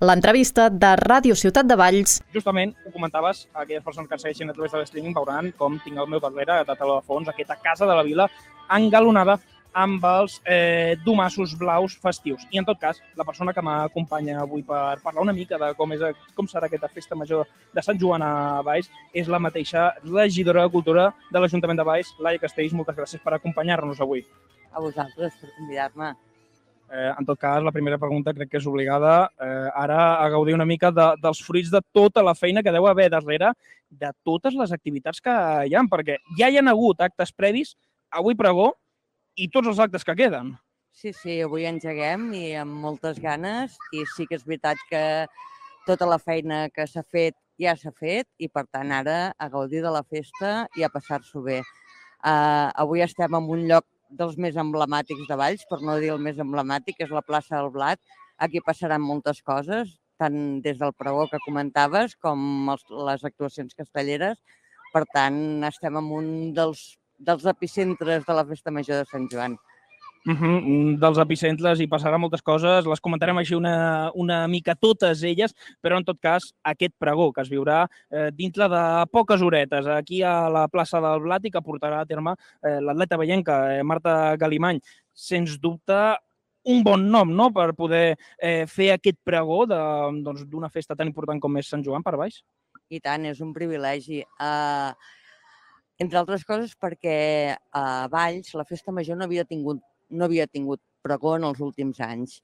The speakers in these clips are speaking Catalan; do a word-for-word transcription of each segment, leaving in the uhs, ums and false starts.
l'entrevista de Ràdio Ciutat de Valls. Justament, ho comentaves, aquelles persones que ens segueixen a través de l'streaming veuran com tinc al meu darrere, de teló de fons, aquesta casa de la vila engalonada amb els eh, domassos blaus festius. I en tot cas, la persona que m'acompanya avui per parlar una mica de com, és, com serà aquesta festa major de Sant Joan a Valls és la mateixa regidora de Cultura de l'Ajuntament de Valls, Laia Castells. Moltes gràcies per acompanyar-nos avui. A vosaltres per convidar-me. Eh, en tot cas, la primera pregunta crec que és obligada eh, ara a gaudir una mica de, dels fruits de tota la feina que deu haver darrere de totes les activitats que hi ha, perquè ja hi ha hagut actes previs, avui pregó, i tots els actes que queden. Sí, sí, avui engeguem i amb moltes ganes i sí que és veritat que tota la feina que s'ha fet ja s'ha fet i per tant ara a gaudir de la festa i a passar-s'ho bé. Uh, avui estem en un lloc dels més emblemàtics de Valls, per no dir el més emblemàtic, que és la plaça del Blat. Aquí passaran moltes coses, tant des del pregó que comentaves com els, les actuacions castelleres. Per tant, estem en un dels dels epicentres de la Festa Major de Sant Joan. Uh -huh. Dels epicentres hi passarà moltes coses, les comentarem així una, una mica totes elles, però en tot cas aquest pregó que es viurà eh, dintre de poques horetes aquí a la plaça del Blat i que portarà a terme eh, l'atleta vallenca eh, Marta Galimany. Sens dubte un bon nom, no?, per poder eh, fer aquest pregó d'una doncs, festa tan important com és Sant Joan per Valls. I tant, és un privilegi. Uh... Entre altres coses perquè a Valls la Festa Major no havia tingut, no havia tingut pregó en els últims anys.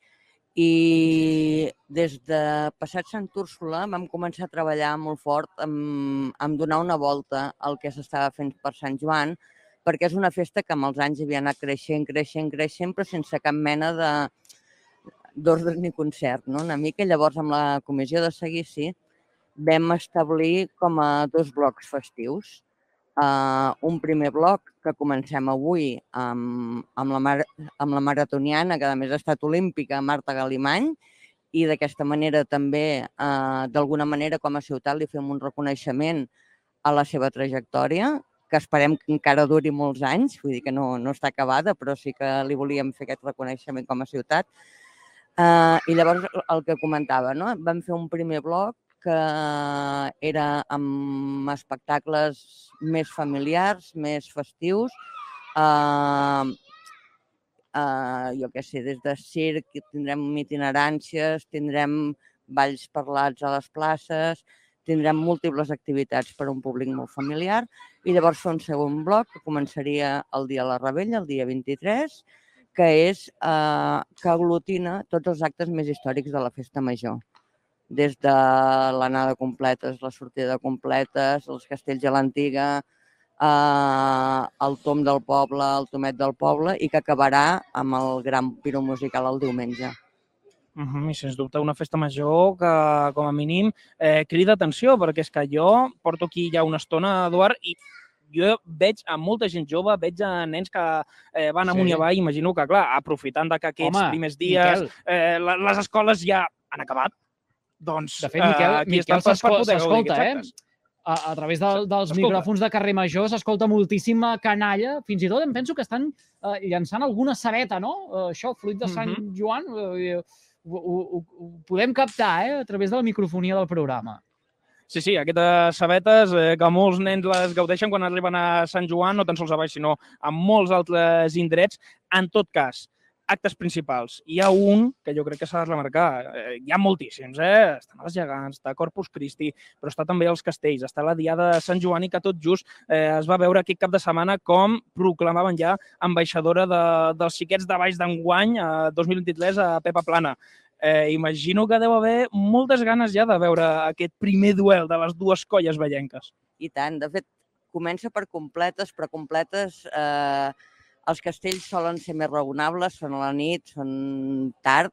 I des de passat Sant Úrsula vam començar a treballar molt fort en, en donar una volta al que s'estava fent per Sant Joan, perquè és una festa que amb els anys havia anat creixent, creixent, creixent, però sense cap mena d'ordre ni concert, no? Una mica. Llavors, amb la comissió de seguici vam establir com a dos blocs festius. Uh, un primer bloc que comencem avui amb, amb, la mar, amb la maratoniana, que a més ha estat olímpica, Marta Galimany, i d'aquesta manera també, uh, d'alguna manera, com a ciutat, li fem un reconeixement a la seva trajectòria, que esperem que encara duri molts anys, vull dir que no, no està acabada, però sí que li volíem fer aquest reconeixement com a ciutat. Uh, I llavors, el que comentava, no? Vam fer un primer bloc que era amb espectacles més familiars, més festius, uh, uh, jo què sé, des de circ, tindrem itineràncies, tindrem balls parlats a les places, tindrem múltiples activitats per a un públic molt familiar i llavors fer un segon bloc que començaria el dia de la Rebella, el dia vint-i-tres, que és uh, que aglutina tots els actes més històrics de la Festa Major. Des de l'anada completes, la sortida completes, els castells a l'antiga, eh, el tom del poble, el tomet del poble, i que acabarà amb el gran piro musical el diumenge. Uh -huh, I sens dubte una festa major que, com a mínim, eh, crida atenció, perquè és que jo porto aquí ja una estona, Eduard, i jo veig a molta gent jove, veig a nens que eh, van amunt i avall, imagino que, clar, aprofitant de que aquests Home, primers dies eh, les escoles ja han acabat. Doncs, de fet, Miquel, uh, Miquel s'escolta, eh? A, a través de, dels micròfons de carrer Major s'escolta moltíssima canalla. Fins i tot em penso que estan uh, llançant alguna sabeta, no? Uh, això, fruit de Sant uh-huh. Joan, uh, ho, ho, ho podem captar, eh? A través de la microfonia del programa. Sí, sí, aquestes sabetes eh, que molts nens les gaudeixen quan arriben a Sant Joan, no tan sols a Valls, sinó a molts altres indrets. En tot cas, actes principals. Hi ha un que jo crec que s'ha de remarcar. Eh, hi ha moltíssims, eh? Estan els gegants, està Corpus Christi, però està també els castells, està la Diada de Sant Joan i que tot just eh, es va veure aquest cap de setmana com proclamaven ja ambaixadora de, dels xiquets de Valls d'enguany, eh, dos mil vint-i-tres, a Pepa Plana. Eh, imagino que deu haver moltes ganes ja de veure aquest primer duel de les dues colles vallenques. I tant. De fet, comença per completes, però completes... Eh... Els castells solen ser més raonables, són a la nit, són tard,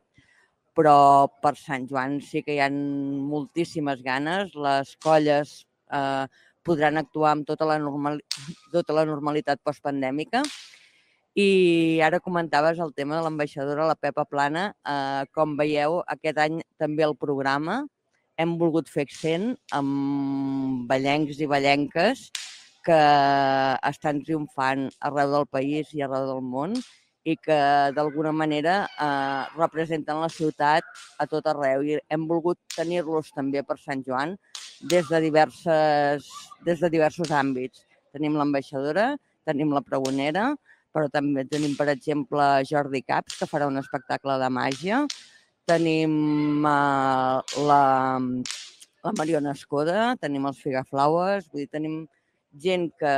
però per Sant Joan sí que hi ha moltíssimes ganes. Les colles eh, podran actuar amb tota la, normal, tota la normalitat postpandèmica. I ara comentaves el tema de l'ambaixadora, la Pepa Plana. Eh, com veieu, aquest any també el programa hem volgut fer accent amb vallencs i vallenques que estan triomfant arreu del país i arreu del món i que d'alguna manera eh, representen la ciutat a tot arreu. I hem volgut tenir-los també per Sant Joan des de, diverses, des de diversos àmbits. Tenim l'ambaixadora, tenim la pregonera, però també tenim, per exemple, Jordi Caps, que farà un espectacle de màgia. Tenim uh, la, la Mariona Escoda, tenim els Figaflaues, vull dir, tenim gent que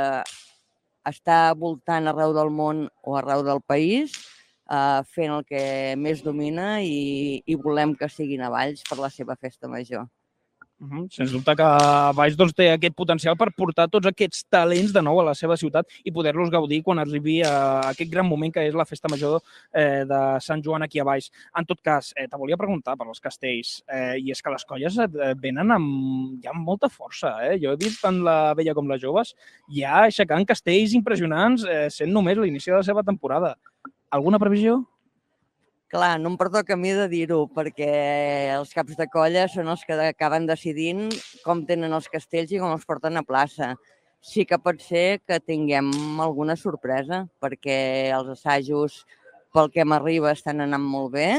està voltant arreu del món o arreu del país, uh, fent el que més domina i, i volem que siguin a Valls per la seva festa major. Uh-huh. Sens dubte que Valls doncs, té aquest potencial per portar tots aquests talents de nou a la seva ciutat i poder-los gaudir quan arribi a aquest gran moment que és la festa major eh, de Sant Joan aquí a Valls. En tot cas, eh, te volia preguntar per els castells, eh, i és que les colles eh, venen amb, ja amb molta força. Eh? Jo he vist tant la vella com les joves ja aixecant castells impressionants eh, sent només l'inici de la seva temporada. Alguna previsió? Clar, no em pertoca a mi de dir-ho, perquè els caps de colla són els que acaben decidint com tenen els castells i com els porten a plaça. Sí que pot ser que tinguem alguna sorpresa, perquè els assajos, pel que m'arriba, estan anant molt bé.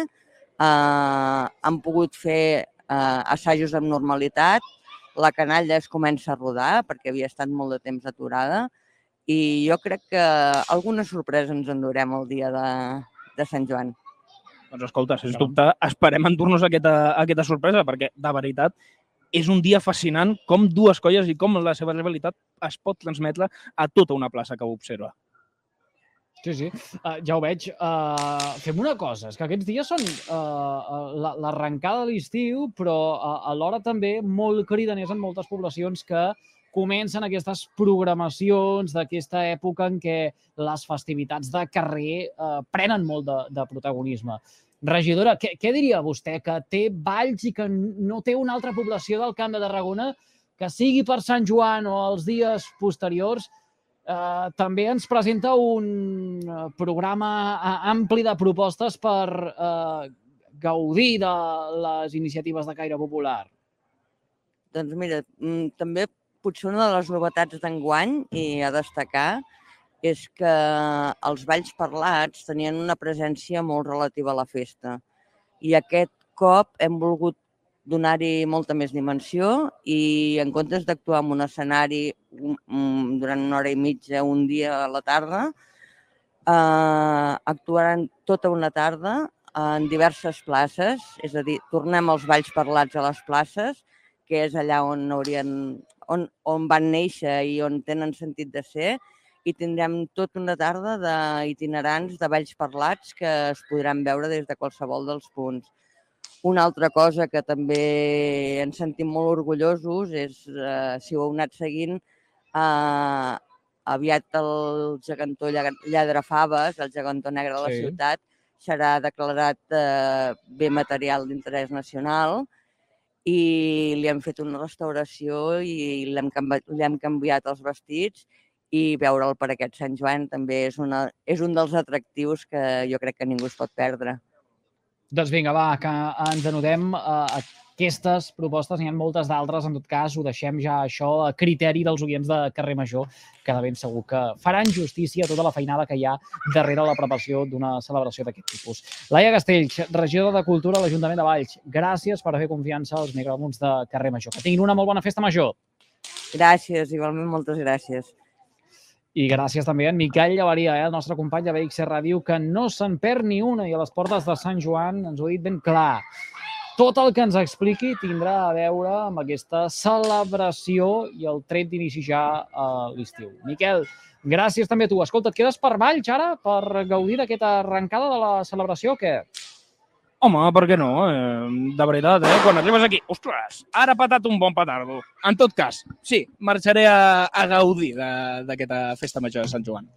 Uh, han pogut fer uh, assajos amb normalitat. La canalla es comença a rodar, perquè havia estat molt de temps aturada. I jo crec que alguna sorpresa ens endurem el dia de, de Sant Joan. Doncs escolta, sens dubte, esperem endur-nos aquesta, aquesta sorpresa, perquè, de veritat, és un dia fascinant com dues colles i com la seva rivalitat es pot transmetre a tota una plaça que ho observa. Sí, sí, uh, ja ho veig. Uh, fem una cosa, és que aquests dies són uh, l'arrencada de l'estiu, però uh, alhora també molt cridaners en moltes poblacions que comencen aquestes programacions d'aquesta època en què les festivitats de carrer eh, prenen molt de, de protagonisme. Regidora, què, què diria vostè que té Valls i que no té una altra població del Camp de Tarragona que sigui per Sant Joan o els dies posteriors, eh, també ens presenta un programa ampli de propostes per eh, gaudir de les iniciatives de caire popular? Doncs mira, també potser una de les novetats d'enguany i a destacar és que els balls parlats tenien una presència molt relativa a la festa. I aquest cop hem volgut donar-hi molta més dimensió i en comptes d'actuar en un escenari durant una hora i mitja, un dia a la tarda, eh, actuaran tota una tarda en diverses places, és a dir, tornem els balls parlats a les places, que és allà on haurien, on, on van néixer i on tenen sentit de ser, i tindrem tota una tarda d'itinerants de balls parlats que es podran veure des de qualsevol dels punts. Una altra cosa que també ens sentim molt orgullosos és, eh, si ho heu anat seguint, eh, aviat el gegantó Lladrafaves, el gegantó negre de la Sí. ciutat, serà declarat eh, bé material d'interès nacional, i li hem fet una restauració i li hem canviat, li hem canviat els vestits, i veure'l per aquest Sant Joan també és, una, és un dels atractius que jo crec que ningú es pot perdre. Doncs vinga, va, que ens anudem a aquestes propostes, n'hi ha moltes d'altres, en tot cas ho deixem ja això a criteri dels oients de Carrer Major, que de ben segur que faran justícia a tota la feinada que hi ha darrere la preparació d'una celebració d'aquest tipus. Laia Castells, regidora de Cultura a l'Ajuntament de Valls, gràcies per haver confiança als micròfons de Carrer Major. Que tinguin una molt bona festa major. Gràcies, igualment, moltes gràcies. I gràcies també a en Miquel Llavaria, eh, el nostre company de B X Ràdio, que no se'n perd ni una i a les portes de Sant Joan ens ho ha dit ben clar. Tot el que ens expliqui tindrà a veure amb aquesta celebració i el tret d'inici ja a l'estiu. Miquel, gràcies també a tu. Escolta, et quedes per Valls ara per gaudir d'aquesta arrencada de la celebració o què? Home, per què no? Eh, de veritat, eh? Quan arribes aquí, ostres, ara ha patat un bon petardo. En tot cas, sí, marxaré a, a gaudir d'aquesta festa major de Sant Joan.